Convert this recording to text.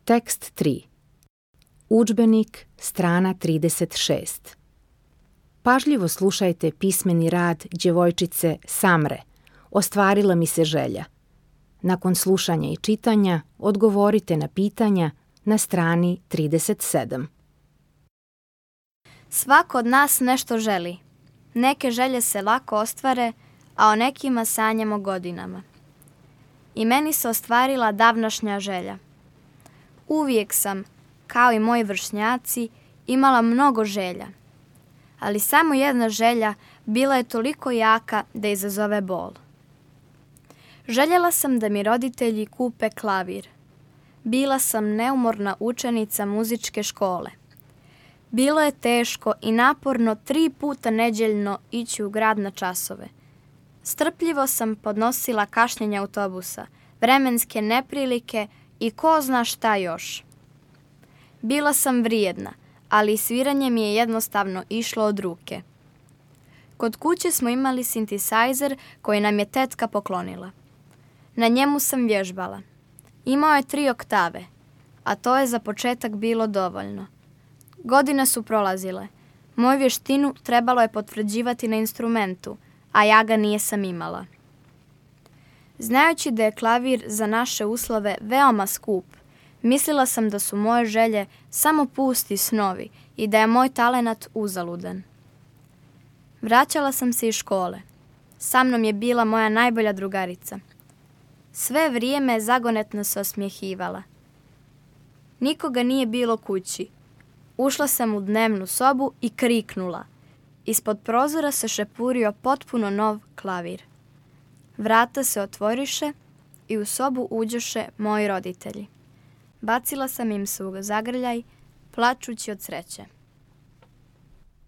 Tekst 3. Udžbenik, strana 36. Pažljivo slušajte pismeni rad djevojčice Samre. Ostvarila mi se želja. Nakon slušanja i čitanja odgovorite na pitanja na strani 37. Svako od nas nešto želi. Neke želje se lako ostvare, a o nekima sanjamo godinama. I meni se ostvarila davnašnja želja. Uvijek sam, kao i moji vršnjaci, imala mnogo želja. Ali samo jedna želja bila je toliko jaka da izazove bol. Željela sam da mi roditelji kupe klavir. Bila sam neumorna učenica muzičke škole. Bilo je teško i naporno 3 puta nedeljno ići u grad na časove. Strpljivo sam podnosila kašnjenja autobusa, vremenske neprilike i ko zna šta još. Bila sam vrijedna, ali sviranje mi je jednostavno išlo od ruke. Kod kuće smo imali sintesajzer koji nam je tetka poklonila. Na njemu sam vježbala. Imao je 3 oktave, a to je za početak bilo dovoljno. Godine su prolazile. Moju vještinu trebalo je potvrđivati na instrumentu, a ja ga nisam imala. Znajući da je klavir za naše uslove veoma skup, mislila sam da su moje želje samo pusti snovi i da je moj talenat uzaludan. Vraćala sam se iz škole. Sa mnom je bila moja najbolja drugarica. Sve vrijeme zagonetno se osmjehivala. Nikoga nije bilo kući. Ušla sam u dnevnu sobu i kriknula. Ispod prozora se šepurio potpuno nov klavir. Vrata se otvoriše i u sobu uđoše moji roditelji. Bacila sam im se u zagrljaj, plačući od sreće.